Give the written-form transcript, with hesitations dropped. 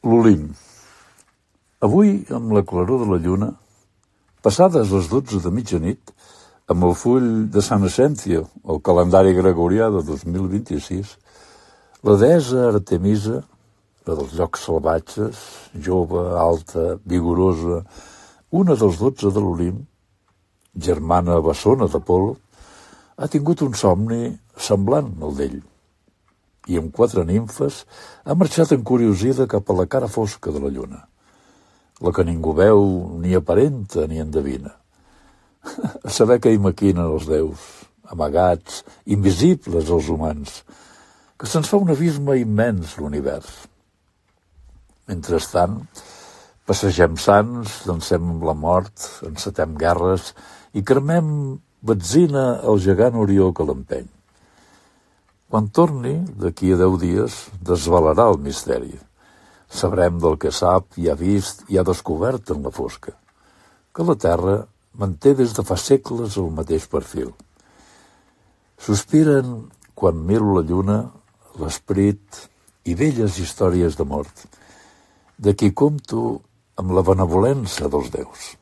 L'Olimp. Avui, amb la claror de la lluna, passades les 12 de mitjanit, amb el full de Sant Ascencio, el calendari gregorià de 2026, la deessa Artemisa, la dels llocs salvatges, jove, alta, vigorosa, una dels 12 de l'Olimp, germana bessona d'Apol·lo, ha tingut un somni semblant al d'ell, i amb 4 nimfes ha marxat encuriosida cap a la cara fosca de la lluna, la que ningú veu, ni aparenta, ni endevina. A saber què hi maquinen els déus, amagats, invisibles als humans, que se'ns fa un abisme immens l'univers. Mentrestant, passegem sants, dansem amb la mort, encetem guerres i cremem betzina al gegant Orió que l'empeny. Quan torni, d'aquí a 10 dies, desvelarà el misteri. Sabrem del que sap i ha vist i ha descobert en la fosca, que la Terra manté des de fa segles el mateix perfil. Sospiren, quan miro la lluna, l'esperit i velles històries de mort, de qui compto amb la benevolència dels déus.